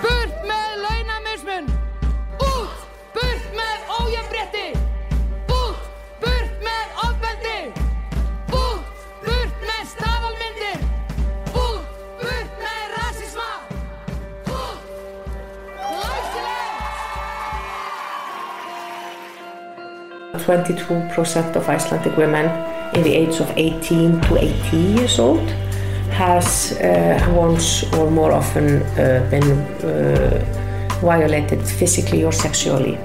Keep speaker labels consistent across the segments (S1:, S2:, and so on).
S1: Burt með launamismun! Út! Burt með ójafnrétti! Út! Burt með ofbeldi! Út! Burt með staðalmyndir! Út! Burt með rasisma! Út! Glæsilegt!
S2: 22% of Icelandic women in the age of 18 to 80 years old has once or more often been violated physically or sexually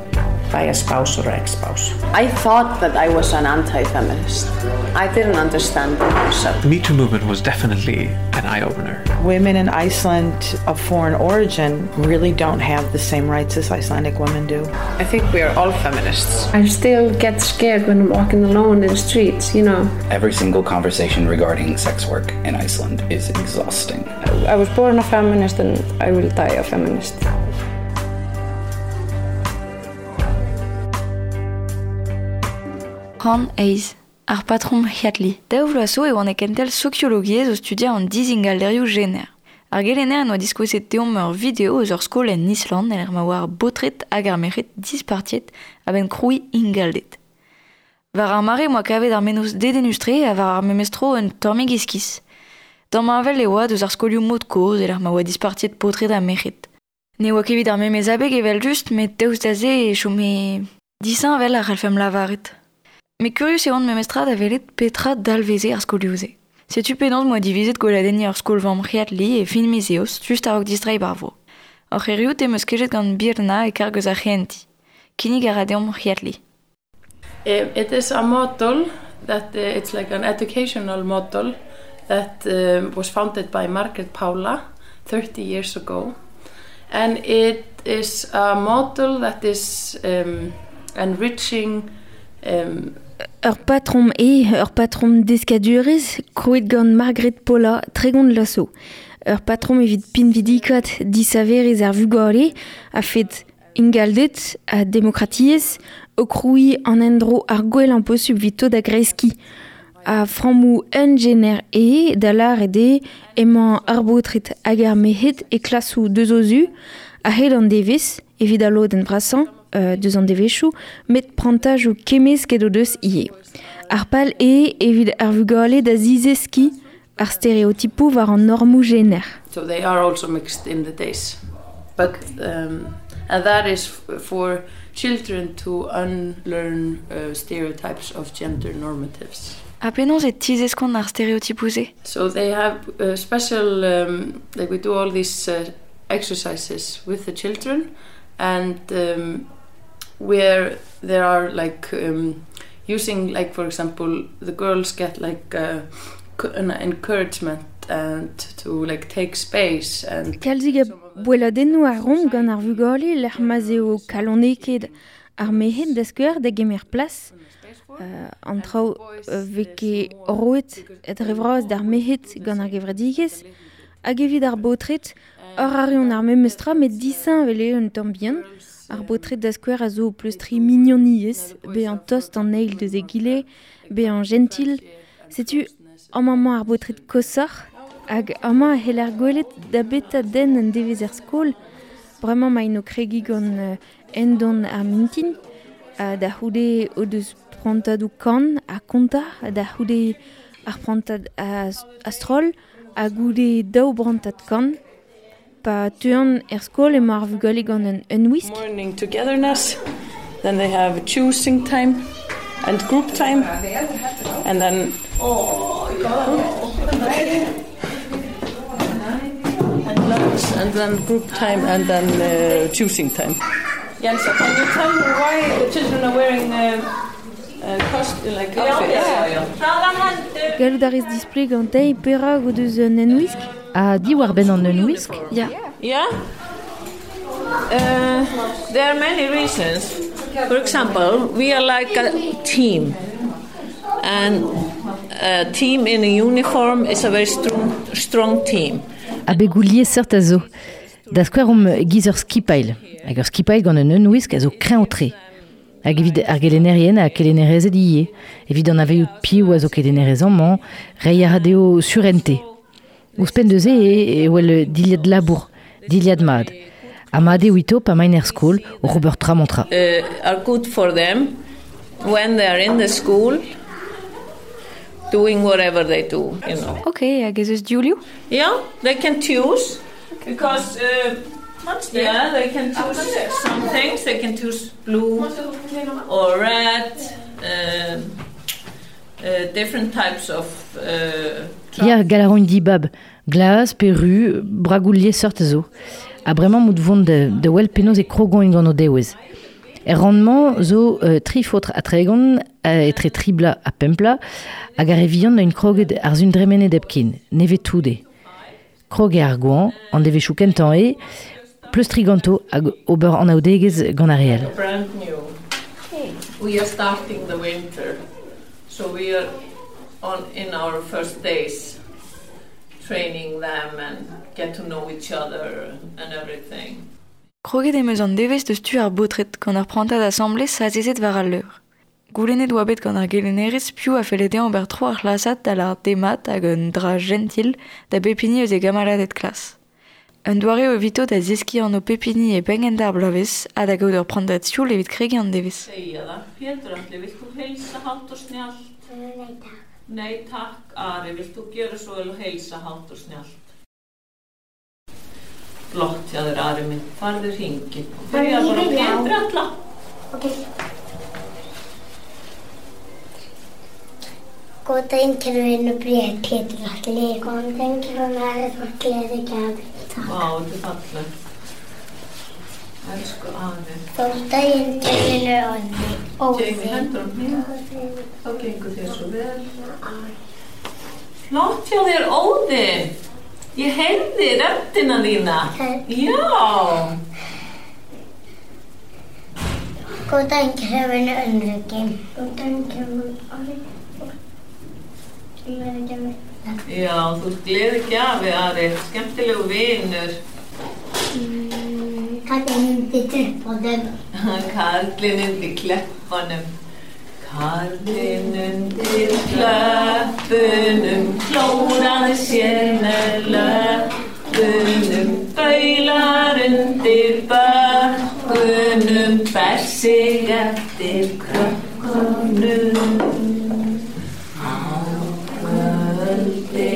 S2: by a spouse or ex-spouse.
S3: I thought that I was an anti-feminist. I didn't understand the concept.
S4: The Me Too movement was definitely an eye-opener.
S5: Women in Iceland of foreign origin really don't have the same rights as Icelandic women do.
S3: I think we are all feminists.
S6: I still get scared when I'm walking alone in the streets, you know.
S7: Every single conversation regarding sex work in Iceland is exhausting.
S6: I was born a feminist and I will die a feminist.
S8: Han eiz, ar patrom hiatli. Daou vloaz zo e oan e kentel sokiologiezh o studiañ an dizingalderioù jener. Ar gelenner en oa diskouezet deomp ur video eus ur skol en Island en ma oa ar baotred hag ar merc'hed dispartiet a-benn krouiñ ingalded. War ar mare moa kavet ar mennozh dedennus-tre ha war ar memes tro un tammig iskis. Damheñvel e oa deus ar skolioù mod kozh e-lec'h ma oa dispartiet paotred ha merc'hed. Ne oa ket evit ar memes abeg evel-just met daoust da se e chome disheñvel a c'hallfemp lavaret. Met kurius e oan memestra da welet petra dalveze ar skolioù-se. Setu penaos moa divizet gweladenniñ ar skol-vamm C'hiatli e fin miz Eost, just a-raok distreiñ bar vro. Oc'h erruout em eus kejet gant Birna e karg eus ar c'hehentiñ. Kinnig a ra deomp C'hiatli.
S9: It is a model that it's like an educational model that was founded by Margaret Paula 30 years ago. And it is a model that is enriching
S10: Ur patrom eo, ur patrom deskadurezh krouet gant Margaret Paula 30 vloaz zo. Ur patrom evit pinvidikaat disaverezh ar vugale a-fet ingalded ha demokratiezh o krouiñ an endro ar gwellañ posupl evito da greskiñ. Ha frammoù unjener eo da lâret eo emañ ar baotred hag ar merc'hed e klasoù deus o zu a-hed an devezh evit al lodenn vrasañ deus an devezhioù, met prantajoù kemmesket o deus ivez. Ar pal eo evit ar vugale da zizeskiñ ar stereotipoù war an normoù jener.
S9: So they are also mixed in the days. But and that is for children to unlearn stereotypes of gender normatives.
S8: Ha penaos e tizeskont ar stereotipoù-se?
S9: So they have special, like we do all these exercises with the children, and where there are like using, like for example, the girls get like an encouragement and to like take space and
S10: Kalzik a boelladennoù a romp gant ar vugale lec'h ma'z eo kalonekaet ar merc'hed da skouer da gemer plas. An traoù vez ket roet dre vras d'ar merc'hed gant ar gevredigezh hag evit ar baotred ur a reont ar memes tra met disheñvel eo un tamm bihan. Ar baotred da skouer a zo pleustriñ mignoniezh, bezañ tost an eil deus egile, bezañ jentil. Setu amañ ar baotred koshoc'h hag amañ e c'heller gwelet da beta den un devezh er skol. Bremañ emaint o kregiñ gant endon ar mintin, da c'houde o deus prantadoù kan ha kontañ, da c'houde ar prantad a-stroll ha goude daou brantad kan. Pa teuan er skol emañ ar vugale gant un unwisk.
S9: Morning togetherness, then they have choosing time and group time, and then and lunch, and then group time, and then choosing time. Jensa, can you tell me why the children are wearing costume like outfits?
S10: Gallout a rez displeg gantei perak o deus un enwisk?
S11: Ha diwar-benn an unwisk?
S8: Ya.
S9: Yeah. There are many reasons. For example, we are like a team. And a team in a uniform is a very strong team.
S11: Abegoù liesseurt a zo. Da skouer omp giz ur skipailh. Hag ur skipailh gant un unwisk a zo kreñv-tre. Hag evit ar gelennerien ha kelennerezed ivez. Evit an aveioù piv a zo kelennerez amañ, reiñ a ra dezho surente. Ouzhpenn deuse e wel dilhad labour, dilhad mad. Ha mat eo ito pa maint er skol o ober tra mañ tra.
S12: Are good for them when they are in the school doing whatever they do, you know.
S8: Ok, hag ez eus div liv?
S12: Yeah, they can choose because yeah, they can choose some things. They can choose blue or red, different types of
S11: Ya, gall a roint dibab, glas pe ru, bragoù liesseurt zo. Ha bremañ mout vont da wel penaos e krogoint gant o dewezh. Er rannmañ zo tri faotr ha tregont, etre tri bloaz ha pemp bloaz, hag ar re vihan neuint kroget ar sun dremenet hepken, nevez tout eo. Krog eo ar goañv, an devezhioù kentañ eo, pleustriñ ganto hag ober anaoudegezh gant ar re all.
S12: Brand new. We are starting the winter, so we are on in our first days training them and get to know each other and everything.
S8: Kroget em eus an devezh deus tu ar baotred gant ar prantad asambles azezet war al leur. Goulennet oa bet gant ar gelennerez piv a felle dezhañ ober tro ar c'hlasad da lâret demat hag un dra jentil da bep hini eus e gamaladed klas. Un doare eo evito da zeskiñ anv pep hini e penn ar bloavezh ha da gaout ur prantad sioul evit kregiñ an devezh.
S12: Segja það. Pétur Atli, vilt þú heilsa hátt og snjallt?
S13: Nei, takk.
S12: Nei, takk, Ari, vilt þú gjöra svo vel og heilsa hátt og snjallt? Flott hjá þér, Ari minn. Farðu hringinn. Byrja bara á Pétur Atla.
S13: Ok. Góðan daginn, kæru vinur Bréf, Pétur Atli. Góðan daginn, kæru vinur, þú ert gleðigjafi. Takk.
S12: Vá, þetta er fallegt. Elsku Ari.
S13: Góðan daginn, kæru vinur Óðinn. Óðinn.
S12: Jamie, hendur á hné. Þá gengur þér svo vel. Flott hjá þér, Óðinn. Ég heyrði röddina þína. Já.
S13: Góðan daginn, kæru vinur Ulriki. Góðan daginn, kæru vinur Ari. Gleðigjafi.
S12: Já, þú ert gleðigjafi, Ari. Skemmtilegur vinur.
S13: Kallinn undir treppunum.
S12: Karlinn undir kleppunum. Karlinn undir klöppunum klóraði sér með löppunum, baular undir bökkunum, ber sig eftir krökkunum. Á kvöldin.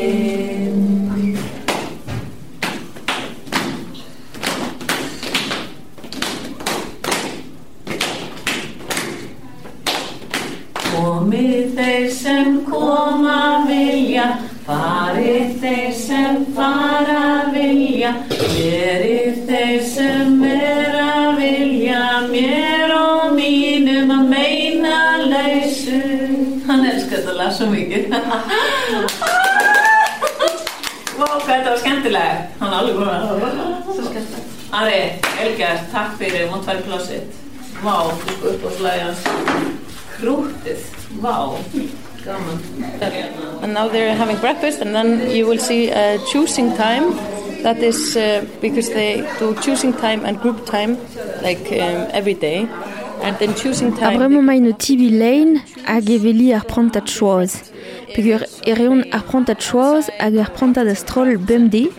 S12: Komi þeir sem koma vilja, fari þeir sem fara vilja, veri þeir sem vera vilja, mér og mínum að meina lausu. Hann elskar þetta lag svo mikið. Vá, hvað þetta var skemmtilegt. Hann er alveg búinn að svo skemmtilegt. Ari, vel gert, takk fyrir, mátt fara í plássið. Vá, þú sko uppáhaldslagið hans. Krúttið, vá, gaman.
S9: And now they're having breakfast, and then you will see choosing time. That is because they do choosing time and group time, like every day. And then choosing
S10: Ha
S9: time.
S10: bremañ emaint o tibi lein hag eveli ar prantad choaz. Peogwir e reont ar prantad choaz hag ar prantad a-stroll bemdez.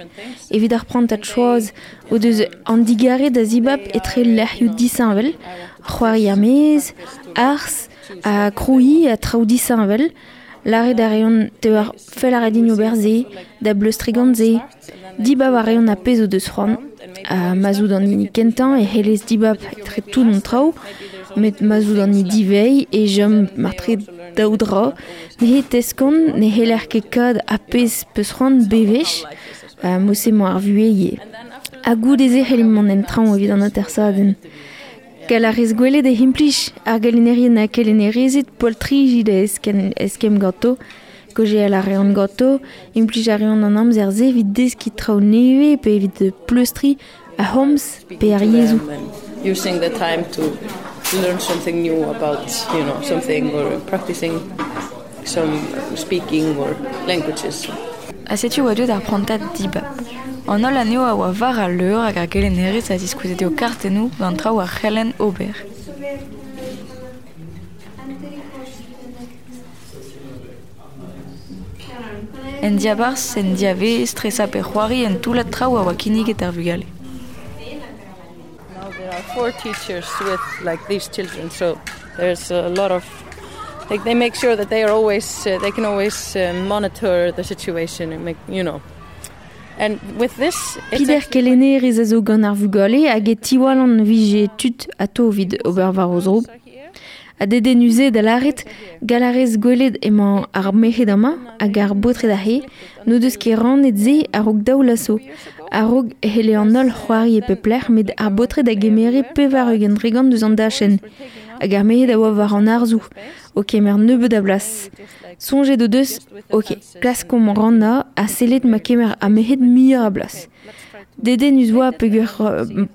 S10: Evit ar prantad choaz o deus an digare da zibab etre lec'hioù disheñvel, c'hoari ar maez, arz, ha krouiñ ha traoù disheñvel. Lâret a reont teo fell a ra din ober se, da bleustriñ gant se. Dibab a reont ar pezh o deus c'hoant. Ha ma zo d'an hini kentañ e c'hellez dibab etre tout an traoù, met ma zo d'an hini diveiñ e chom martre daou dra. Neuze teskont ne c'heller ket kad ar pezh peus c'hoant bewech, ha mod-se emañ ar vuhez ivez. Ha goude-se c'hellimp mont en traoñ evit an atersadenn. Gall a rez gwelet e implij ar gelennerien ha kelennerezed poltriji da eskemm ganto, kaozeal a reont ganto, implij a reont an amzer-se evit deskiñ traoù nevez pe evit pleustriñ ar c'homz pe ar yezhoù.
S9: Using the time to learn something new about, you know, something or practicing some speaking or languages.
S8: Ha setu oa deuet ar prantad dibab. An holl anezho a oa war al leur hag ar gelennerez a ziskoueze dezho kartennoù gant traoù ar c'helenn ober. En diabarzh, en diavaez, tresañ pe c'hoari un toullad traoù a oa kinniget d'ar vugale.
S9: Now there are four teachers with like these children, so there's a lot of like they make sure that they are always uh, they can always uh, monitor the situation and make you know and with this
S10: Pider kelennerez a zo gant ar vugale hag e tiwallan vije tud atao evit ober war o zro. Ha dedennus eo da lâret gall a rez gwelet emañ ar merc'hed amañ hag ar baotred aze n'o deus ket rannet se a-raok daou laso. A-raok e c'helle an holl c'hoari e pep lec'h met ar baotred a gemere 80% deus an dachenn hag ar merc'hed a oa war an harzoù o kemer nebeut a blas. Soñjet o deus ok, klaskomp rannañ ha sellet ma kemer ar merc'hed muioc'h a blas. Dedennus oa peogwir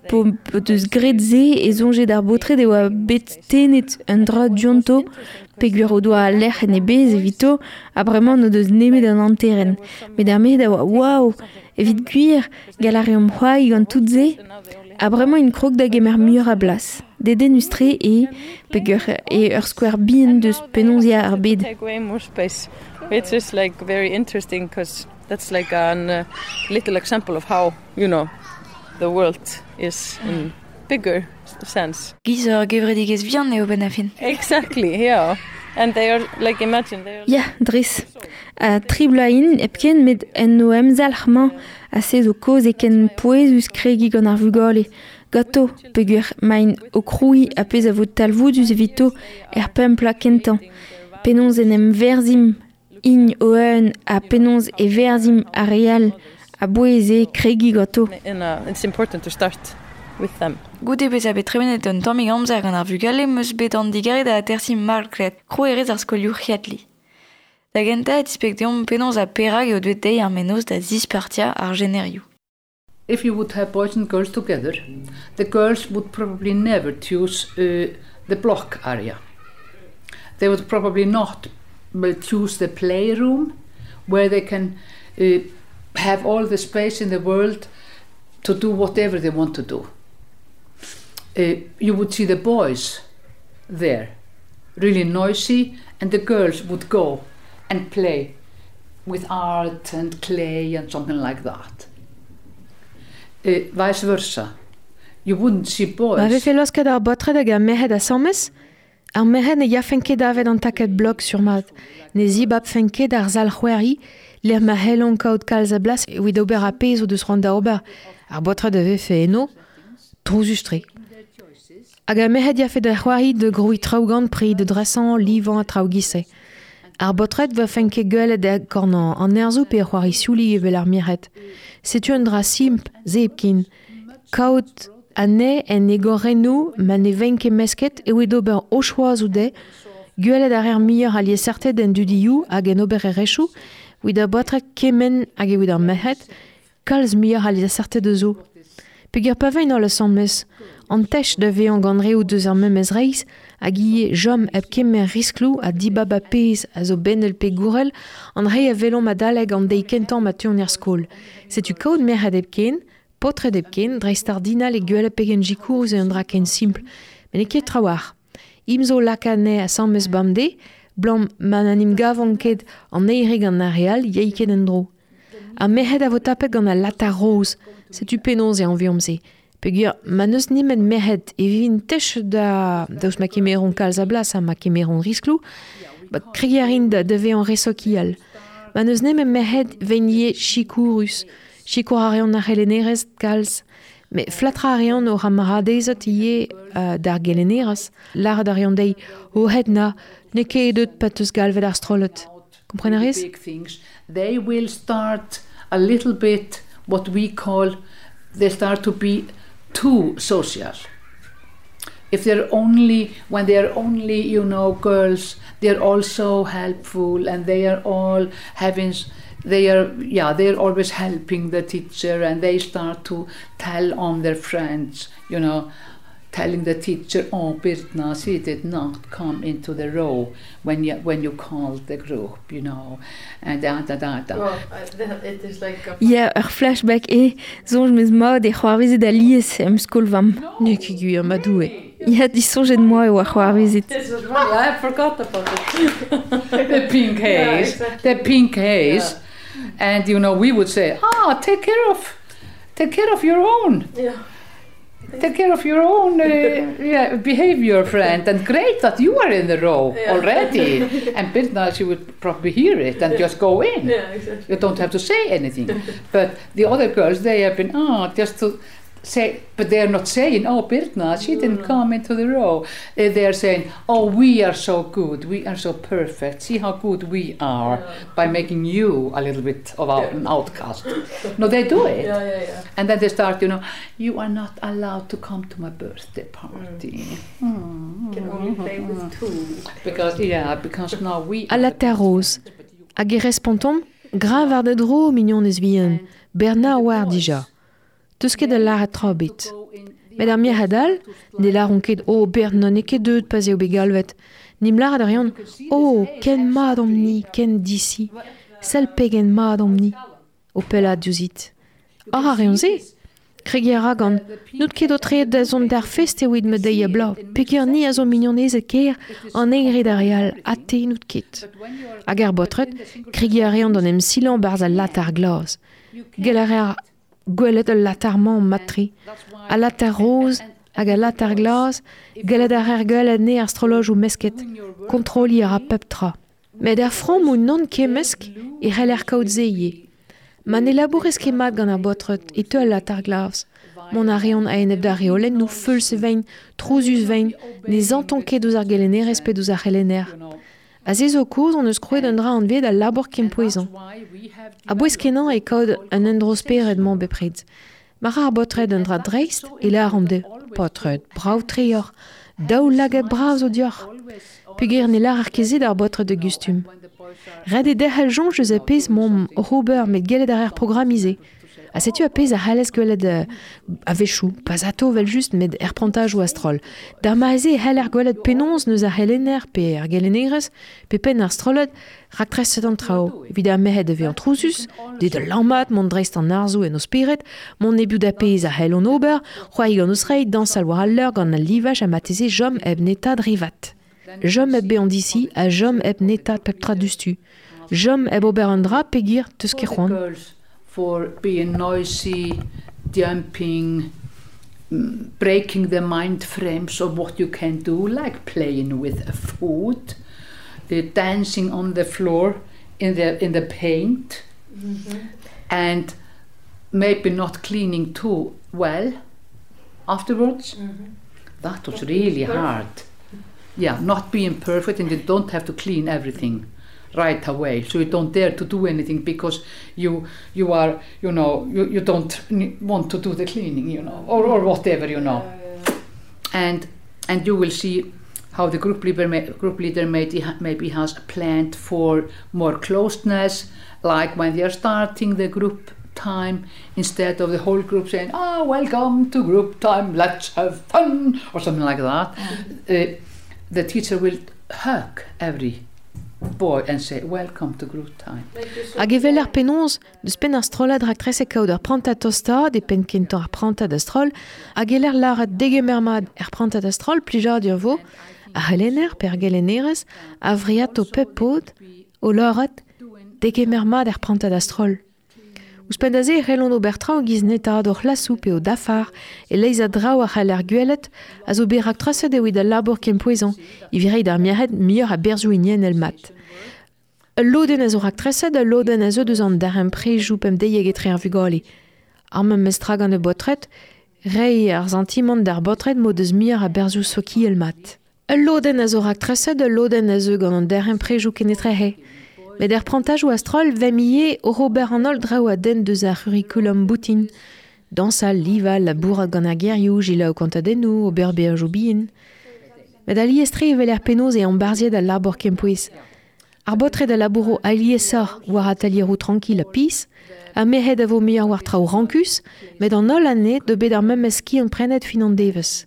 S10: p'o deus graet se e soñje d'ar baotred e oa bet tennet un dra dionto peogwir o doa al lec'h en e bezh evito ha bremañ n'o deus nemet an hanterenn. Met ar merc'hed a oa waou ! Evit gwir, gall a reomp c'hoari gant tout se ha bremañ int krog da gemer muioc'h a blas. Dedennus-tre eo peogwir eo ur skouer bihan deus penaos eo ar bed.
S9: It's just like very interesting because that's like a uh, little example of how, you know, the world is in bigger sense.
S8: Giz ur gevredigezh vihan eo benn ar fin.
S9: Exactly, yeah. And they are like imagine they are
S10: Ya, dres. Ha tri bloaz int hepken met en o emzalc'h-mañ ha se zo kaoz eo ken pouezus kregiñ gant ar vugale. Ganto, peogwir 'maint o krouiñ ar pezh a vo talvoudus evito er pemp bloaz kentañ. Penaos en em verzhimp int o-un ha penaos e verzhimp ar re all a-bouez eo kregiñ ganto.
S9: It's important to start with them.
S8: Goude bezañ bet tremenet un tammig amzer gant ar vugale 'm eus bet an digarez da atersiñ Margret, krouerez ar skolioù C'hiatli. Da gentañ e tispleg deomp penaos ha perak eo deuet dezhi ar mennozh da zispartiañ ar jenerioù.
S14: If you would have boys and girls together, the girls would probably never choose uh, the block area. They would probably not choose the playroom where they can uh, have all the space in the world to do whatever they want to do. Uh, you would see the boys there really noisy and the girls would go and play with art and clay and something like that. Uh, vice versa. You wouldn't see boys.
S15: Ma vefe laosket ar baotred hag ar merc'hed asambles, ar merc'hed ne yafent ket davet an takad blok sur-mat. Ne zibabfent ket ar sal c'hoari lec'h ma c'hellont kaout kalz a blas evit ober ar pezh o deus c'hoant da ober. Ar baotred a vefe eno trouzus-tre. Hag ar merc'hed yafe da c'hoari da grouiñ traoù gant pri, da dresañ, livañ ha traoù giz-se. Ar baotred 'vefent ket gwelet e korn an nerzhoù pe c'hoari sioulig evel ar merc'hed. Setu un dra simpl, se hepken. Kaout anezhe en egorennoù ma ne vent ket mesket evit ober o choazoù dezhe, gwelet a reer muioc'h a liesseurted en dudioù hag en obererezhioù evit ar baotred kement hag evit ar merc'hed, kalz muioc'h a liesseurted a zo. Peogwir pa vent holl asambles, an tech da vezañ gant reoù deus ar memes reizh hag ivez chom hep kemer riskloù ha dibab ar pezh a zo benel pe gourel an re a welomp adalek an deiz kentañ ma teuont er skol. Setu kaout merc'hed hepken, paotred hepken, dreistordinal e gwelet pegen sikourus eo un dra ken simpl, met n'eo ket trawalc'h. Int zo lakaat anezhe asambles bemdez, 'blam ma n'en em gavont ket an eil re gant ar re all yay ket en-dro. Ar merc'hed a vo tapet gant al latar roz, setu penaos e anveomp se. Peogwir ma n'eus nemet merc'hed e vivint tech da daoust ma kemeront kalz a blas ha ma kemeront riskloù, ba kregiñ a rin da, da vezañ re sokial. Ma n'eus nemet merc'hed 'vent ivez sikourus. Sikour a reont ar c'helennerez kalz. Met flatrañ a reont o c'hamaradezed ivez uh, d'ar gelennerez. Lâret a reont dezhi, o het na, n'eo ket deut pa 'teus galvet ar strollad. Kompren a rez?
S14: They will start a little bit what we call they start to be too social. If they're only when they are only you know girls, they're also helpful and they are all having they are yeah they're always helping the teacher and they start to tell on their friends you know telling the teacher oh Birna she did not come into the row when you when you called the group you know and da da da da
S9: well, it is like a
S10: Ya, ur flashback eo, soñj 'm eus mat e c'hoarvezet alies em skol-vamm.
S15: N'eo ket gwir, ma Doue.
S10: Ya, disoñjet 'moa e oa c'hoarvezet.
S9: This was funny. I forgot about it.
S14: the pink haze, yeah, exactly. the pink haze. Yeah. And you know, we would say, ah, take care of, take care of your own.
S9: Yeah.
S14: Take care of your own yeah, behavior, friend. And great that you are in the row
S9: Yeah.
S14: already. And Birna, she would probably hear it and just go in.
S9: Yeah, exactly.
S14: You don't have to say anything. But the other girls, they have been, oh, just to say, but they are not saying, oh, Birna, she didn't come into the row. They are saying, oh, we are so good, we are so perfect, see how good we are by making you a little bit of an outcast. No, they do it.
S9: Yeah, yeah, yeah.
S14: And then they start, you know, you are not allowed to come to my birthday party.
S9: Can only play with two.
S14: Because, yeah, because now we...
S15: A latar roz. Hag e respontomp, gra war da dro, mignon ez vihan, Bernard war dija. Teus ket a lâret tra bet. Met ar merc'hed all, ne lâront ket oh Bernard n'eo ket deuet pa'z eo bet galvet. Nim lâret a reont, oh, ken mat omp-ni, ken disi, sell pegen mat omp-ni, o pellaat diouzhit. Ar a reont se. Kregiñ a ra gant, n'out ket o treet da zont d'ar fest evit ma deiz ha bloaz, peogwir ni a zo mignonezed ker an eil d'ar re all, ha te n'out ket. Hag ar baotred, kregiñ a reont d'an em silañ barzh al latar glas. Gell a reer gwelet al latar-mañ mat-tre, al latar roz hag al latar glas, gellet a reer gwelet anezhe ar strollojoù mesket, kontroliñ a ra pep tra. Met er frammoù nann kemmesk e c'heller kaout se ivez. Ma ne labourez ket mat gant ar baotred e teu al latar glas. Mont a reont a-enep d'ar reolennoù feuls e vein, trouzus vein, ne santont ket ouzh ar gelennerez pe ouzh ar c'helenner. Ha se zo kaoz hon eus krouet un dra anvet al labour kempouezañ. A-bouez kenañ e kaout un endro-spered-mañ bepred. Ma ra ar baotred un dra dreist e lâromp dezho, paotred, brav-tre oc'h, daou lagad bras zo deoc'h. Peogwir ne lârer ket se d'ar baotred de gustum. Ret eo derc'hel soñj eus ar pezh m'omp oc'h ober met gellet a reer programmiñ. Ha setu ar pezh a c'hallez gwelet a-wechoù, pas atao evel-just met er prantajoù a-stroll. D'ar mare-se e c'heller gwelet penaos n'eus ar c'helenner pe ar gelennerez pe penn ar strollad raktreset an traoù. Evit ar merc'hed da vezañ trouzus, dezhe da lammat, mont dreist an arzoù en o spered, mont hebiou da pezh a c'hellont ober, c'hoari gant o zreid, dañsal war al leur gant al livaj ha marteze chom hep netaat re vat. Chom hep bezañ disi ha chom hep netaat pep tra diouzhtu. Chom hep ober an dra peogwir teus ket c'hoant.
S14: For being noisy, jumping, breaking the mind frames of what you can do, like playing with a food, the dancing on the floor in the paint, and maybe not cleaning too well afterwards. That was really hard. Yeah, not being perfect, and you don't have to clean everything right away, so you don't dare to do anything because you are, you know, you don't want to do the cleaning, you know, or whatever, you know. And you will see how the group leader maybe has planned for more closeness, like when they are starting the group time, instead of the whole group saying, oh, welcome to group time, let's have fun, or something like that. The teacher will hug every boy and say, welcome to group time.
S15: Hag evel ar penaos, deus penn ar strollad raktres e kaout ur prantad tostaat e penn kentañ ar prantad a-stroll, hag eler lâret degemer mat er prantad a-stroll plijadur vo, ar c'helenner pe ar gelennerez a vriato pep paotr o lâret degemer mat er prantad a-stroll. Ouzhpenn da se e c'hellont ober traoù giz netaat o c'hlasoù pe o dafar, e leizh a draoù a c'hell ar gwelet a zo bet raktreset evit al labour kempouezañ, evit reiñ d'ar merc'hed muioc'h a berzhioù hiniennel mat. Ul lodenn a zo raktreset, ul lodenn a zo deus an darempredoù pemdeiek etre ar vugale. Ar memes tra gant ar baotred, reiñ ar santimant d'ar baotred m'o deus muioc'h a berzhioù sokial mat. Ul lodenn a zo raktreset, ul lodenn a zo gant an darempredoù kenetrehe. Met er prantajoù a-stroll vemp ivez oc'h ober an holl draoù a denn deus ar c'hurrikulum boutin. Dañsal, livañ, labourat gant ar gerioù, selaou kontadennoù, ober beajoù bihan. Met alies-tre evel er penaos eo ambarzhiet al labour kempouez. Ar baotred a labouro aliesoc'h war atalieroù trankil ha pizh, ha merc'hed a vo muioc'h war traoù rankus, met an holl anezhe do bet ar memes skiant prenet fin an devezh.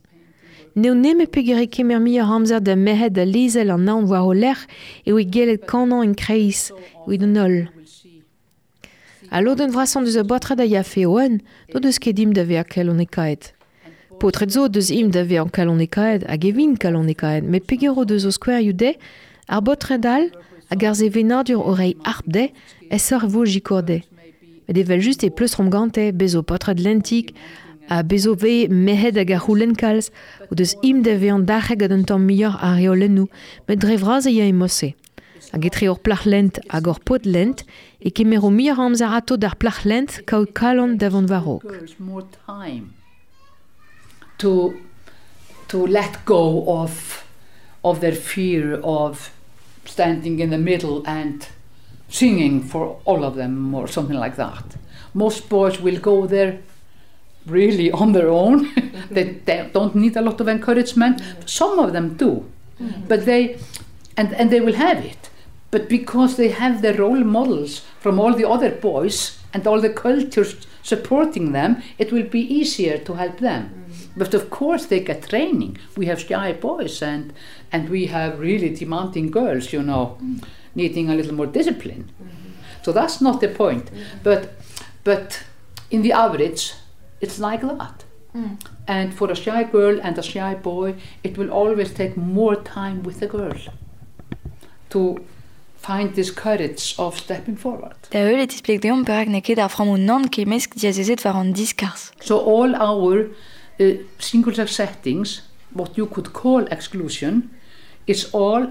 S15: N'eo nemet peogwir e kemer muioc'h amzer da merc'hed da lezel an aon war o lerc'h eo gellet kanañ en kreiz evit an holl. Ha lodenn vrasañ deus ar baotred a yafe o-un, n'o deus ket dimp da vezañ kalonekaet. Paotred zo deus imp da vezañ kalonekaet hag e vint kalonekaet, met peogwir o deus o skouerioù dezhe, ar baotred all hag ar sevenadur o reiñ harp dezhe, aesoc'h e vo sikour dezhe. Met evel-just e pleustromp gante, bez zo paotred lentik, ha bez zo 'vez merc'hed hag a c'houlenn kalz, o deus int da vezañ dac'het gant un tamm muioc'h a reolennoù, met dre vras e ya e mod-se. Hag etre ur plac'h lent hag ur paotr lent e kemero muioc'h a amzer atao d'ar plac'h lent kaout kalon da vont war-raok.
S14: To, to let go of, of their fear of standing in the middle and singing for all of them or something like that. Most boys will go there really on their own. They don't need a lot of encouragement. Some of them do. But they and they will have it. But because they have the role models from all the other boys and all the cultures supporting them, it will be easier to help them. But of course they get training. We have shy boys and we have really demanding girls, you know, needing a little more discipline. So that's not the point. But in the average, it's like that. And for a shy girl and a shy boy, it will always take more time with the girl to find this courage of stepping forward.
S8: Da heul e tispleg deomp perak n'eo ket ar frammoù nann kemmesk diazezet war an diskarzh.
S14: So all our single-sex settings, what you could call exclusion, is all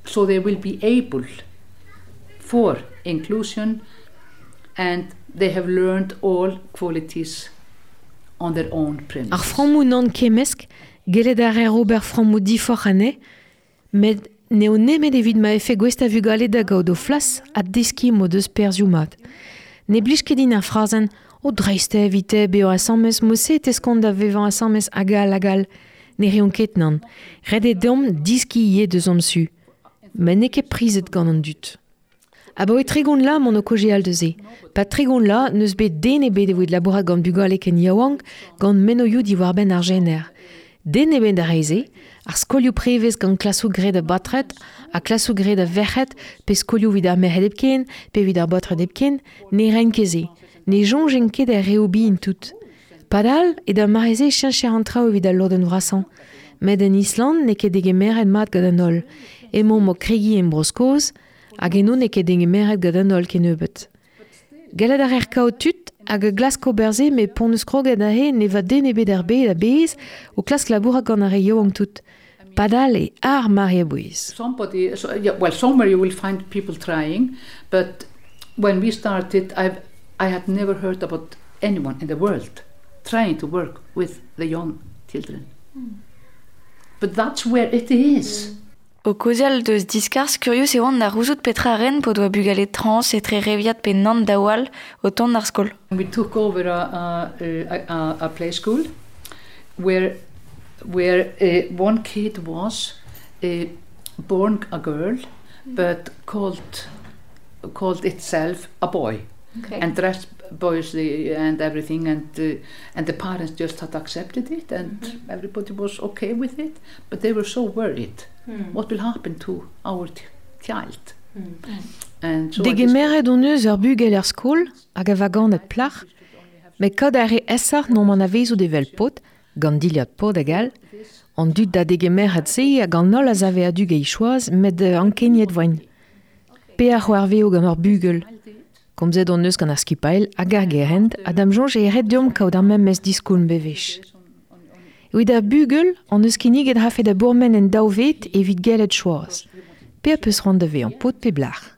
S14: so they will be able for inclusion, and they have learned all qualities on their own premise.
S15: Ar frammoù nann kemmesk, gellet a reer ober frammoù diforc'h anezhe, met n'eo nemet evit ma vefe gouest a vugale da gaout o flas ha deskiñ m'o deus perzhioù mat. Ne blij ket din ar frazenn o dreist eo evite bezañ asambles mod-se e teskont da vevañ asambles hag all hag all. Ne reont ket nann. Ret eo deomp deskiñ ivez deus hon su. Met n'eo ket prizet gant an dud. Abaoe 30 vloaz emaon o kaozeal deus se. Pa 30 vloaz n'eus bet den ebet evit labourat gant bugale ken yaouank gant mennozhioù diwar-benn ar jener. Den ebet a rae se, ar skolioù prevez gant klasoù graet a baotred ha klasoù graet a verc'hed, pe skolioù evit ar merc'hed hepken, pe evit ar baotred hepken, ne raent ket se. Ne soñjent ket er reoù bihan tout. Padal, e d'ar mare-se e cheñcher an traoù evit al lodenn vrasañ. Met en Island n'eo ket degemeret mat gant an holl. Emaomp o kregiñ en Bro-Skos, hag eno n'eo ket degemeret gant an holl kennebeut. Gallet a reer kaout tud hag a glask ober se met p'hon eus kroget aze ne va den ebet er bed a-bezh o klask labourat gant ar re yaouank tout. Padal eo ar mare a-bouez.
S14: Somebody, so, yeah, well, somewhere you will find people trying, but when we started, I had never heard about anyone in the world trying to work with the young children. But that's where it is.
S8: O kaozeal deus diskarzh, kurius e oan da c'houzout petra a ren p'o doa bugale trans etre reviad pe nann daou all o tont d'ar skol.
S14: We took over a play school where one kid was born a girl but called itself a boy.
S8: Okay.
S14: And dressed boyishly and everything, and the parents just had accepted it, and everybody was okay with it, but they were so worried. What will happen to our child? And so I
S15: Degemeret hon eus ur bugel er skol hag a va ganet plac'h, met kaout a re aesoc'h n'omp anavezout evel paotr, gant dilhad paotr hag all, an dud da degemeret se hag an holl a save a-du gant choaz, met ankeniet voint. Pe a c'hoarveo gant ur bugel. Komzet hon eus gant ar skipailh hag ar gerent, ha da'm soñj eo ret deomp kaout ar memes diskoulm bewech. Evit ar bugel, hon eus kinniget rafe da bourmen en daou ved evit gellet choaz. Pe a peus c'hoant da vezañ paotr pe blac'h.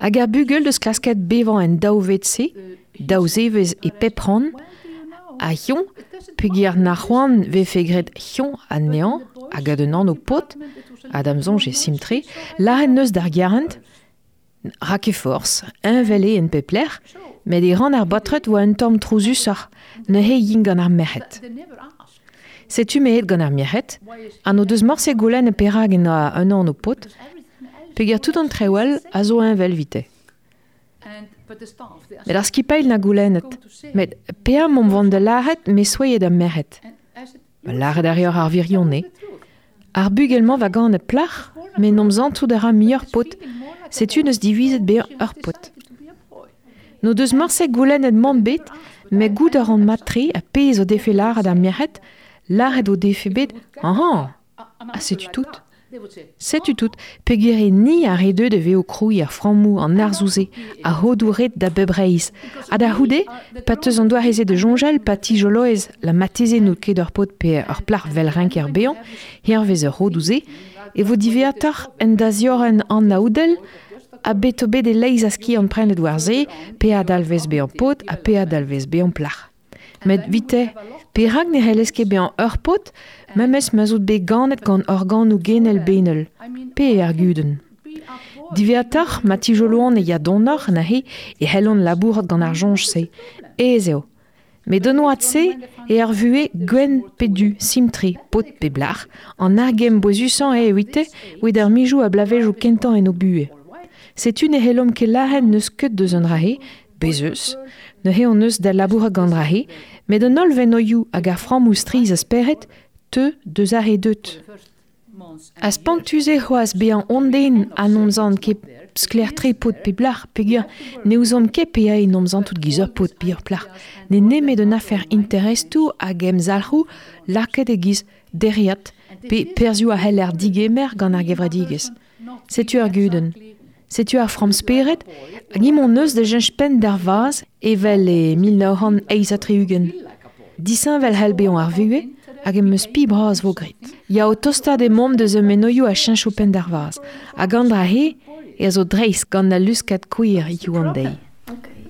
S15: Hag ar bugel deus klasket bevañ en daou ved-se, daou zevezh e pep rann, ha hiziv, peogwir na c'hoant vefe graet hiziv anezhañ hag ad un anv paotr, ha da'm soñj e simpl-tre, lâret neus d'ar gerent, ra ket forzh, heñvel eo en pep lec'h, met e rann ar baotred oa un tamm trouzusoc'h, neuze int gant ar merc'hed. Setu me aet gant ar merc'hed, ha n'o deus morse goulennet perak en oa un anv paotr, peogwir tout an traoù all a zo heñvel evite. Met ar skipailh na goulennet, met pe'a m'omp vont da lâret me souezhet ar merc'hed. Ma lâret a reoc'h ar wirionez. Ar bugel-mañ va ganet plac'h, met n'omp santout a ra muioc'h paotr, setu neus divizet bezañ ur paotr. N'o deus morse goulennet mann bet, met goût a ran mat-tre ha pezh o defe lâret ar merc'hed, lâret o defe bet, Ahañ, ha setu tout. Setu tout, peogwir eo ni ar re deuet e vez o krouiñ ar frammoù an arzoù-se, ar c'hodoù ret da bep reizh. Ha da c'houde, pa teus an doare-se da soñjal, pa tijoloez la mateze n'out ket ur paotr pe ur plac'h 'vel renker bezañ, hervez ar c'hodoù-se, e vo diwezhatoc'h en da ziorren anaoudel ha bet o bet e-leizh a skiant prenet war se, pe a dalvez bezañ paotr ha pe a dalvez bezañ plac'h. Met 'vite, perak ne c'hellez ket bezañ ur paotr memes ma'z out bet ganet gant organoù genel benel? Pe eo ar gudenn? Diwezhatoc'h, ma tijoloan e ya donoc'h neuze e c'hellont labourat gant ar soñj-se. Aes eo. Met d'an oad-se eo ar vuhez gwenn pe du, simpl-tre, paotr pe blac'h, an argemm bouezusañ eo evite evit ar mizoù ha bloavezhioù kentañ en o buhez. Setu ne c'hellomp ket lâret n'eus ket deus an dra-se, bez eus. Neuze hon eus da labourat gant dra-se, met an holl venoioù hag ar frammoù strizh a spered teu deus ar re deut. Ha spontus eo c'hoazh bezañ hon den ha n'omp zant ket sklaer-tre paotr pe blac'h peogwir ne ouzomp ket penaos n'omp zantout giz ur paotr pe ur plac'h. N'eo nemet un afer interestoù hag emzalc'hoù lakaet e-giz dereat pe perzhioù a c'heller digemer gant ar gevredigezh. Setu ar gudenn. Setu ar framm-spered hag emañ eus da cheñch penn d'ar vazh evel e 1968. Disheñvel c'hell bezañ ar vuhez hag em eus spi bras 'vo graet. Ya, o tostaat emaomp deus ur menoioù a cheñcho penn d'ar vazh. Hag an dra-se e a zo dreist gant al luskad queer hiziv an deiz.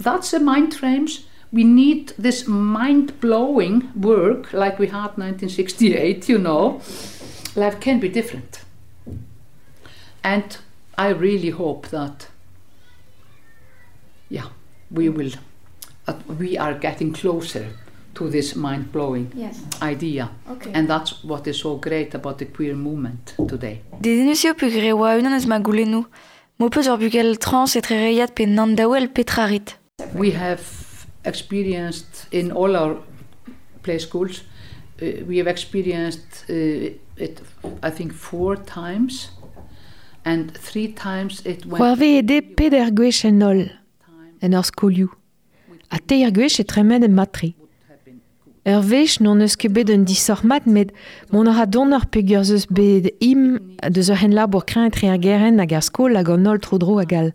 S14: That's the mind frames. We need this mind-blowing work like we had 1968, you know. Life can be different. And I really hope that, yeah, we will, that we are getting closer to this mind-blowing
S8: Yes.
S14: idea.
S8: Okay.
S14: And that's what is so great about the queer movement today.
S8: Dedennus eo peogwir e oa unan eus ma goulennoù. M'ho peus ur bugel trans etrereiat pe nann-daouel petra rit?
S14: We have experienced in all our play schools, we have experienced it, I think, 4 times. And 3 times it went
S15: C'hoarvezet eo peder gwech en holl en hor skolioù. Ha teir gwech e tremen mat-tre. Ur wech n'hon eus ket bet un disoc'h mat met mont a ra donoc'h peogwir ez eus bet im deus ur c'henlabour kreñv etre ar gerent hag ar skol hag an holl tro-dro hag all.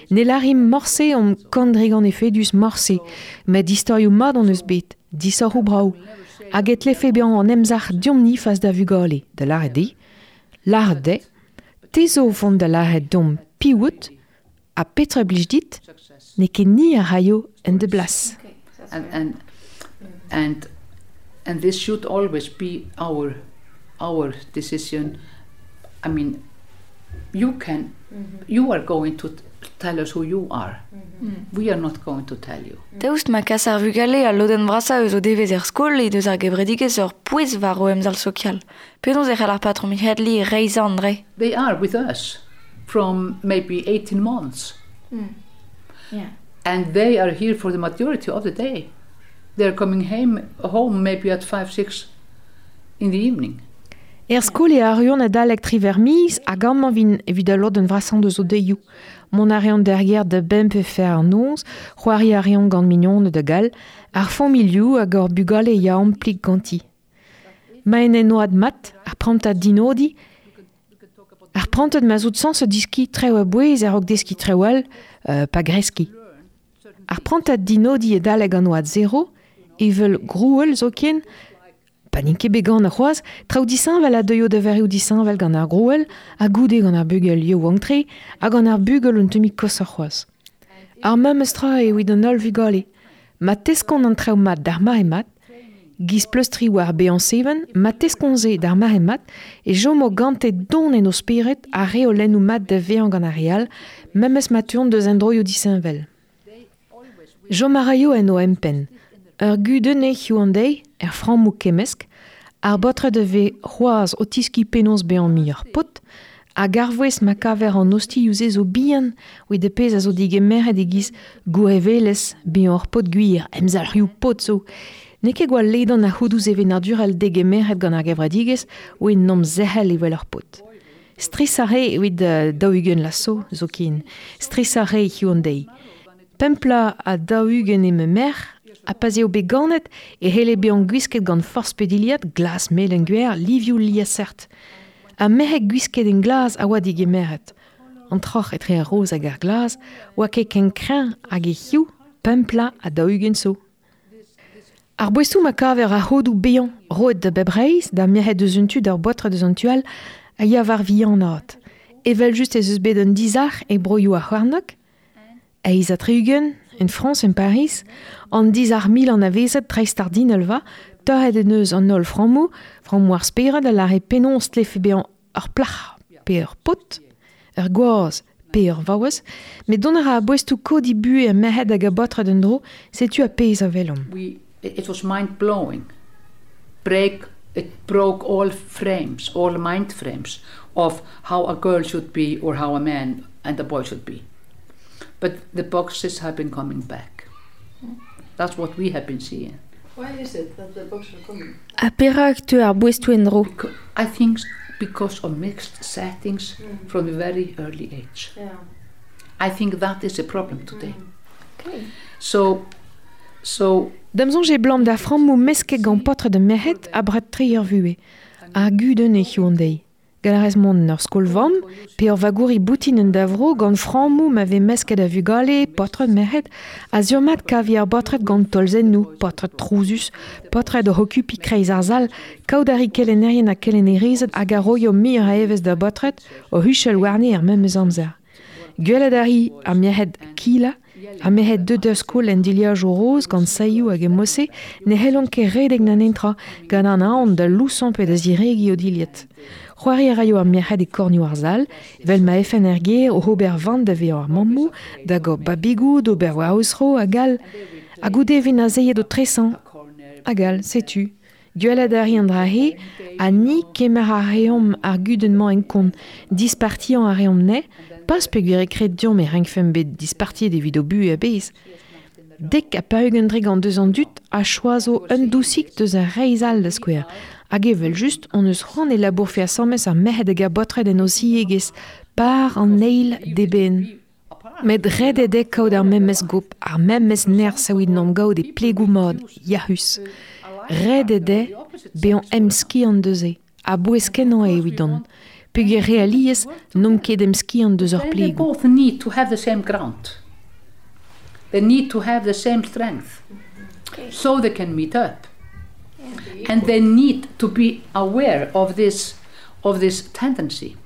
S15: Ne lârimp morse omp kant-dregont efedus morse, met istorioù mat hon eus bet, disoc'hoù brav. Hag e tlefe bezañ an emzalc'h deomp-ni fas da vugale, da lâret eo, lâret dezhe, te zo o vont da lâret deomp piv out ha petra blij dit, n'eo ket ni a raio en da blas.
S14: And this should always be our decision. I mean, you can, you are going to tell us who you are. We are not going to tell you.
S8: Daoust ma kas ar vugale al lodenn vrasañ eus o devezh er skol he deus ar gevredigezh ur pouez war o emzalc'h sokial. Penaos e c'hell ar patrom Hjalli reizhañ an dra?
S14: They are with us from maybe 18 months.
S8: Yeah.
S14: And they are here for the majority of the day. They're coming home maybe at 5, 6 in the evening.
S15: Er skol e arruont adalek triwec'h miz hag amañ 'vint evit al lodenn vrasañ deus o deioù. Mont a reont d'ar gêr da bemp pe fer an noz, c'hoari a reont gant mignoned hag all, ar familhoù hag hor bugale ya amplik ganti. Ma en en oad mat, ar prantad dinodiñ, ar prantad ma zo sañset deskiñ traoù a-bouez a-raok deskiñ traoù all, pa greskiñ. Ar prantad dinodiñ adalek an oad zero, evel grouell zoken, pa n'int ket bet ganet c'hoazh, traoù disheñvel a deuio da vareoù disheñvel gant ar grouell, ha goude gant ar bugel yaouank-tre, ha gant ar bugel un tammig koshoc'h c'hoazh. Ar memes tra eo evit an holl vugale. Ma teskont an traoù mat d'ar mare mat, giz pleustriñ war bezañ seven, ma teskont se d'ar mare mat, e chomo gante don en o spered ar reolennoù mat da vezañ gant ar re all, memes ma teuont deus endroioù disheñvel. Chom a raio en o empenn. Ur gudenn eo hiziv an deiz, er frammoù kemmesk, ar baotred a vez c'hoazh o tiskiñ penaos bezañ muioc'h paotr, hag ar wezh ma kaver an ostilhoù-se zo bihan evit ar pezh a zo digemeret e-giz gourevelezh, bezañ ur paotr gwir, emzalc'hioù paotr zo. N'eo ket gwall ledan ar c'hodoù sevenadurel degemeret gant ar gevredigezh oe n'omp zerc'hel evel ur paotr. Strishañ re evit 40 vloaz zo zoken, strishañ re hiziv an deiz. Pemp bloaz ha 40 eo ma merc'h, ha pa'z eo bet ganet e c'helle bezañ gwisket gant forzh pe dilhad, glas, melen, gwer, livioù liesseurt. Ha merc'hed gwisket en glas a oa digemeret. An troc'h etre ar roz hag ar glas oa ket ken kreñv hag e hiziv, pemp pla ha 40 zo. Ar boestoù ma kaver ar c'hodoù bezañ roet da bep reizh, da merc'hed eus un tu d'ar baotred eus an tu all, a ya war vihanaat. Evel-just ez eus bet un dizalc'h e broioù ar c'hornôg, 68, en Frañs, en Pariz, an dizalc'h mil anavezet dreistordinal-va, torret en deus an holl frammoù, frammoù ar spered a lâre penaos tlefe bezañ ur plac'h pe ur paotr, ur gwaz pe ur vaouez, met dont a ra ar boestoù kodiñ buhez ar merc'hed hag ar baotred en-dro, setu ar pezh a welomp.
S14: It was mind-blowing. Break, it broke all frames, all mind frames of how a girl should be or how a man and a boy should be. But the boxes have been coming back. That's what we have been seeing.
S9: Why is it that the boxes are coming?
S10: Ha perak teu ar boestoù en-dro?
S14: I think because of mixed settings from a very early age.
S9: Yeah.
S14: I think that is a problem today.
S9: Okay.
S14: So
S15: Da'm soñj eo 'blam da frammoù mesket gant paotred ha merc'hed abred-tre er vuhez. Ar gudenn eo hiziv an deiz. Gall a rez mont en ur skol-vamm pe ur vagouri boutin en da vro gant frammoù ma vez mesket a vugale, paotred, merc'hed, ha sur-mat kavi ar baotred gant tolzennoù, paotred trouzus, paotred oc'h okupiñ kreiz ar sal, kaout a ri kelennerien ha kelennerezed hag a roio muioc'h a evezh da baotred o huchal warne er memes amzer. Gwelet a ri ar merc'hed kilañ, ar merc'hed deuet d'ar skol en dilhajoù roz gant saeoù hag e-mod-se ne c'hellont ket redek na netra gant an aon da lousañ pe da ziregiñ o dilhad. C'hoari a raio ar merc'hed e kornioù ar sal, evel ma efen er gêr oc'h ober van da vezañ ar mammoù, da gaout babigoù, d'ober war o zro hag all. Ha goude e vint azezet o tresañ. Hag all, setu. Gwelet a ri an dra-se, ha ni kemer a reomp ar gudenn-mañ en kont, dispartiañ a reomp anezhe, pas peogwir e kred deomp e rankfemp bet dispartiet evit o buhez a-bezh. Dek ha 40 dre gant deus an dud a choazo un dousig deus ar reizh all da skouer. Hag evel-just hon eus c'hoant e labourfe asambles ar merc'hed hag ar baotred en o ziegezh, par an eil d'eben. Met ret eo dezhe kaout ar memes gop, ar memes nerzh evit n'omp gaout e plegoù mat, yac'hus. Ret eo dezhe bezañ emskiant deus se, a-bouez-kenañ eo evidon. Peogwir re alies n'omp ket emskiant deus ur
S14: They
S15: plegoù.
S14: both need to have the same ground. They need to have the same strength, so they can meet up. And they need to be aware of this tendency.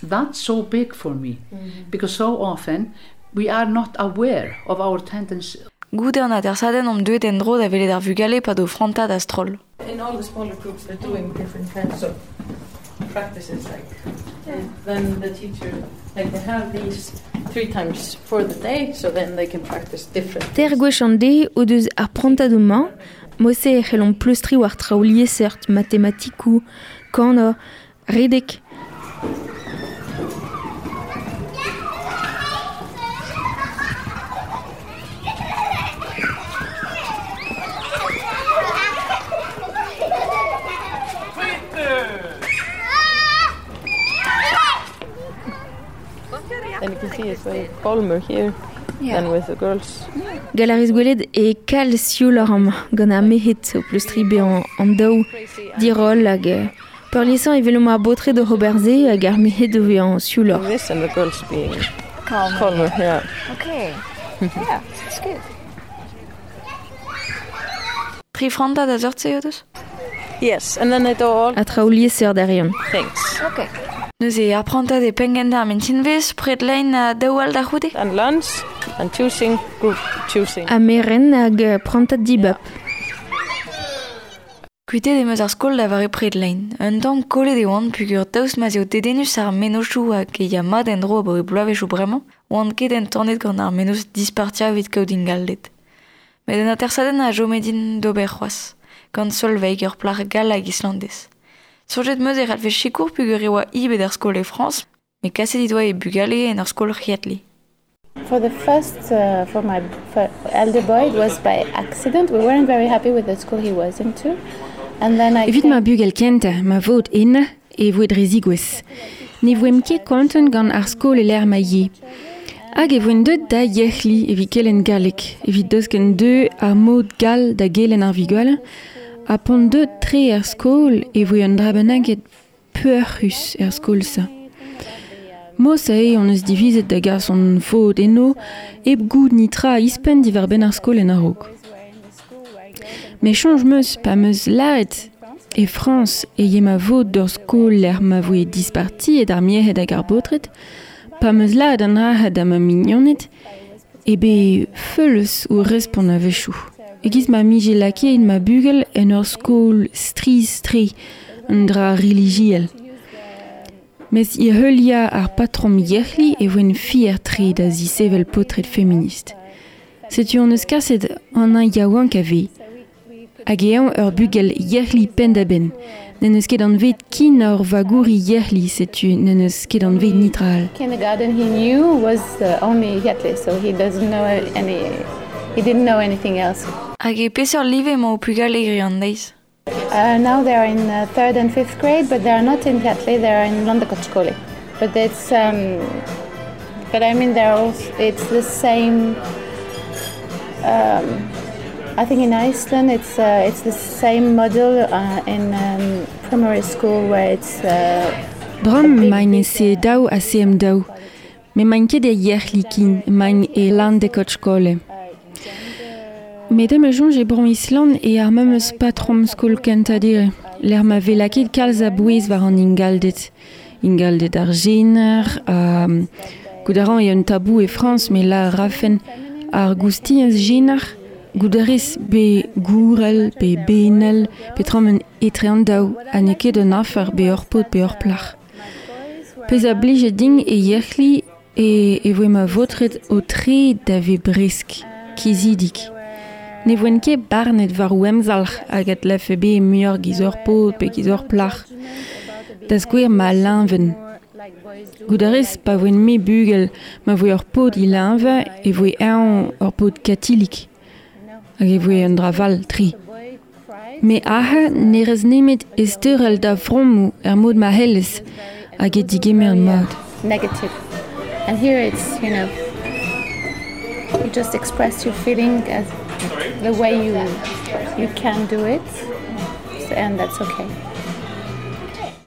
S14: That's so big for me, because so often we are not aware of our tendency.
S8: Goude an atersadenn omp deuet en-dro da welet ar vugale pad o frantad a-stroll.
S9: In all the smaller groups they're doing different kinds of practices, like then the teacher, like they have these 3 times for the day, so then they can practice different.
S10: Ter gwech an deiz o deus ar prantadoù-mañ, mod-se e c'hellont pleustriñ war traoù liesseurt, matematikoù, kanañ, redek.
S9: And you can see it's very calmer here than with the girls.
S10: Gall a rez gwelet e kalz siouloc'h amañ gant ar merc'hed o pleustriñ bezañ an daou diroll hag peurliesañ e welomp ar baotred oc'h ober se hag ar merc'hed o vezañ siouloc'h.
S9: This and the girls being
S8: Calmer.
S9: calmer, yeah.
S8: Okay. Yeah, that's good. Tri frantad a seurt-se o deus?
S9: Yes, and then they do all
S10: Ha traoù liesseurt a reont.
S9: things.
S8: Okay. Neuze ar prantad e penngentañ ar mintinvezh, pred lein ha daou all da c'houde?
S9: And lunch, and choosing, group choosing.
S10: Ha merenn hag prantad dibab.
S8: Kuitet em eus ar skol da vare pred lein. Un tamm kollet e oan peogwir daoust ma'z eo dedennus ar mennozhioù hag e ya mat en-dro abaoe bloavezhioù bremañ, oan ket entanet gant ar mennozh dispartiañ evit kaout ingalded. Met un atersadenn a chome din d'ober c'hoazh, gant Solveig ur plac'h gall hag islandez. Soñjet 'm eus e c'hallfe sikour peogwir e oa hi bet er skol e Frañs, met kaset he doa e bugale en ur skol c'hiatli.
S3: For the first, for my elder boy, it was by accident. We weren't very happy with the school he was into. And then I
S16: Evit
S3: came
S16: ma bugel kentañ, ma vod ennañ, e voe dre zigouez. Ne voemp ket kontant gant ar skol e lec'h ma ye. Hag e voen deut da yec'hli evit kelenn galleg, evit deusken deu ar mod gall da gelenn ar vugale, ha p'on deut tre er skol e voe un dra bennak peoc'hus er skol-se. Mos eo hon eus divizet da gas hon faot eno, hep goût nitra ouzhpenn diwar-benn ar skol en a-raok. Met soñj 'm eus pa 'm eus lâret e Frañs e ye ma vod d'ur skol lec'h ma voe dispartiet ar merc'hed hag ar baotred, pa 'm eus lâret an dra da ma mignoned, eo bet feuls o respont a-wechoù. E-giz ma 'mije lakaet ma bugel en ur skol strizh-tre, un dra relijiel. Mes e heuliañ ar patrom Yec'hli e voen fier-tre da zisevel paotred feminist. Setu hon eus kaset an hini yaouank a vez. Hag eñ ur bugel Yec'hli penn-da-benn. N'en deus ket anvet ken ur vagouri Yec'hli, setu n'en deus ket anvet netra all.
S3: Kindergarten he knew was only Hjalli, so he doesn't know any, he didn't know anything else.
S8: Hag e peseurt live emañ ho pugale hiziv an deiz?
S3: Now they are in third and fifth grade, but they are not in Hjalli, they are in Landakotsskóli. But it's, but I mean, they're also, it's the same. I think in Iceland it's the same model in primary school where it's.
S16: Bremañ emaint e CE2 ha CM2. Met n'emaint ket e Yec'hli ken, emaint e Landakotsskóli. Met em eus soñj e bro Island eo ar memes patrom skol kentañ dere, lec'h ma vez lakaet kalz a bouez war an ingalded. Ingalded ar jener, ha goût a ran eo un tabou e Frañs, met lâr a rafen ar goustiañs jener, goût a rez pe gourel, pe benel, peotramant etre an daou, ha n'eo ket un afer pe ur paotr pe ur plac'h. Pezh a blije din e Yec'hli e, e voe ma vaotred o tre da vez bresk, kizidik. Ne voent ket barnet war o emzalc'h hag a dlefe bezañ muioc'h giz ur paotr pe giz ur plac'h. Da skouer ma leñvenn. Goût a rez pa voen-me bugel ma voe ur paotr é leñvañ e voe eñ ur paotr katolik. Hag e voe un dra fall-tre. Met aze ne rez nemet ezteurel da fromoù er mod ma c'hellez hag e digemer mat.
S3: Negative. And here it's, you just express your feeling as the way you can do it, and that's okay.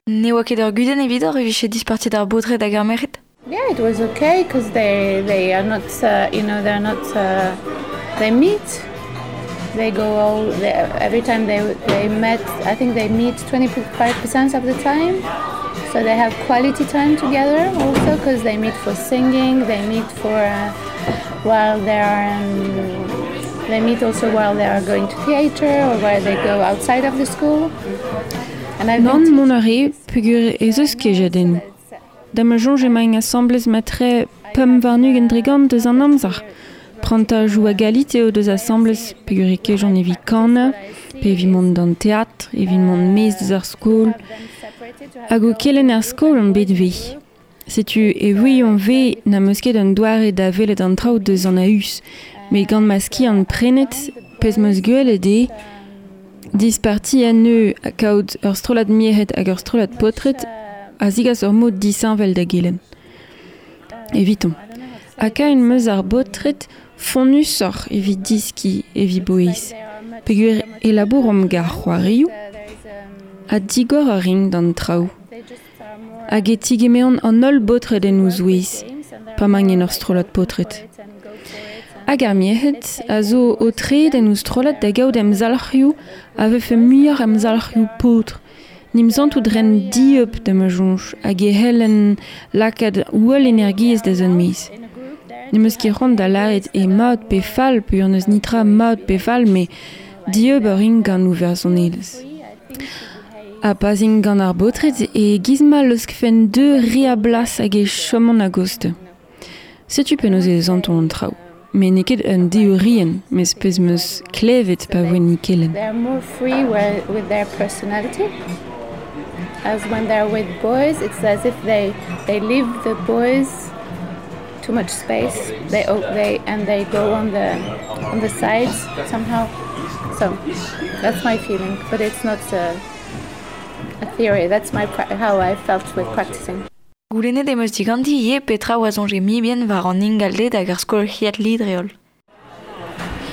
S8: Ne oa ket ur gudenn evidoc'h e vije dispartiet ar baotred hag ar merc'hed?
S3: Yeah, it was okay because they are not they're not they meet. They go all they, every time they met. I think they meet 25% of the time. So they have quality time together also because they meet for singing. They meet for while they are. They meet also while they are going to theater or while they go outside of the school. And I've
S16: Nann, mont a re peogwir ez eus kejadennoù. Da ma soñj emaint asambles matre 25% deus an amzer. Prantadoù a galite o deus asambles peogwir e kejont evit kanañ, pe evit mont d'an teatr, evit mont maez deus ar skol. Hag o kelenn er skol on bet ivez. Setu e ouion 'vez n'am eus ket un doare da welet an traoù deus an a-us, met gant ma skiant prenet, pezh 'm eus gwelet eo, disparti anezho ha kaout ur strollad merc'hed hag ur strollad paotred a zigas ur mod disheñvel da gelenn. Eviton. Ha kaen 'm eus ar baotred fonnusoc'h evit deskiñ evit bouez. Peogwir e labouromp gant ar c'hoarioù ha digor a rin d'an traoù. Hag e tigemeront an holl baotred en o zouez, pa 'maint en ur strollad paotred. Hag ar merc'hed a zo o tred en o strollad da gaout emzalc'hioù a vefe muioc'h emzalc'hioù paotr. N'em santout 'ran dieub da ma soñj hag e c'hellen lakaat holl energiezh da zont maez. N'em eus ket c'hoant da lâret eo mat pe fall peogwir n'eus netra mat pe fall met dieub a rin gant o fersonelezh. Ha pa'z int gant ar baotred e-giz ma laoskfen dezhe re a blas hag e chomont a-gostez. Setu penaos e santont an traoù. Met n'eo ket un deorienn, mes pezh 'm eus klevet pa voen o kelenn.
S3: They're more free with their personality. As when they're with boys, it's as if they leave the boys too much space. They and they go on the sides somehow. So that's my feeling, but it's not a theory. That's how I felt with practicing.
S8: Goulennet em eus diganti ivez petra oa soñj mibien war an ingalded hag ar skol Hjalli dre-holl.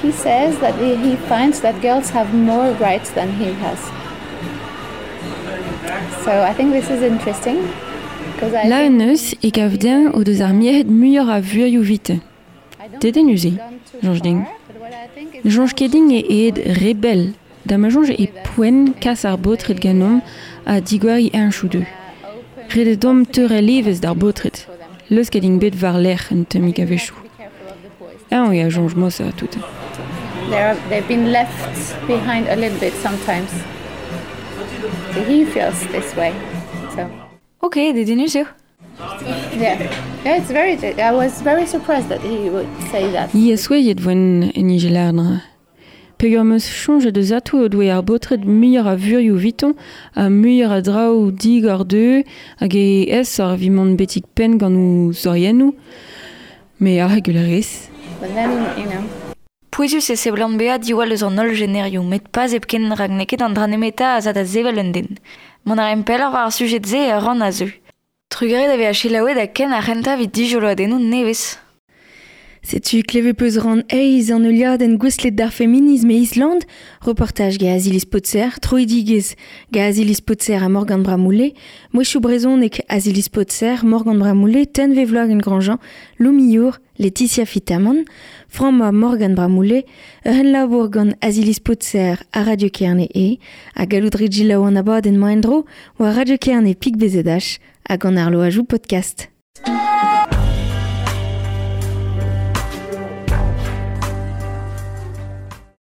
S3: He says that he finds that girls have more rights than he has. So I think this is interesting.
S16: La un eus e gav den o deus ar merc'hed muioc'h a vurioù vite. Dedennus eo, soñj din. Ne soñj ket din eo aet re bell, da ma soñj e poent kas ar baotred ganeomp ha digoariñ heñchoù dezho. Ret eo deomp teurel evezh d'ar baotred, leusket int bet war-lerc'h un tammig a-wechoù. Eñ eo a soñj mod-se ha tout.
S3: They've been left behind a little bit sometimes. So he feels this way. So.
S8: Ok, dedennus eo.
S3: Yeah. Yeah, it's very I was very surprised that he would say that.
S16: Hi souezhet voen en ije lardra. Peogwir 'm eus soñjet eus atav o doe ar baotred muioc'h a vurioù evitoñ ha muioc'h a draoù digor dezhe hag e aesoc'h evit mont betek penn gant o zoriennoù. Me a gwell a rez.
S3: But then, you know.
S8: Pouezus e seblant bezañ diwall eus an holl jenerioù, met pas hepken rak n'eo ket an dra nemetañ a za da sevel un den. Mont a raimp pelloc'h war ar sujed-se er rann a zeu. Trugarez da vezañ selaouet ha ken ar c'hentañ evit dijoloadennoù nevez.
S10: Setu klevet peus ran eizh an heuliadenn gouestlet d'ar feminism e Island, reportaj gant Aziliz Potser, troidigezh gant Aziliz Potser ha Morgan Bramoullé, mouezhioù brezhonek Aziliz Potser, Morgan Bramoullé, Tenve Vloagen Grandjean, Lou Millour, Laetitia Fitamant, Frañma Morgan Bramoullé, ur c'henlabour gant Aziliz Potser ha Radio Kerne e, ha gallout rit selaou an abadenn-mañ en-dro war Radio Kerne pik BZH hag an arloajoù podcast.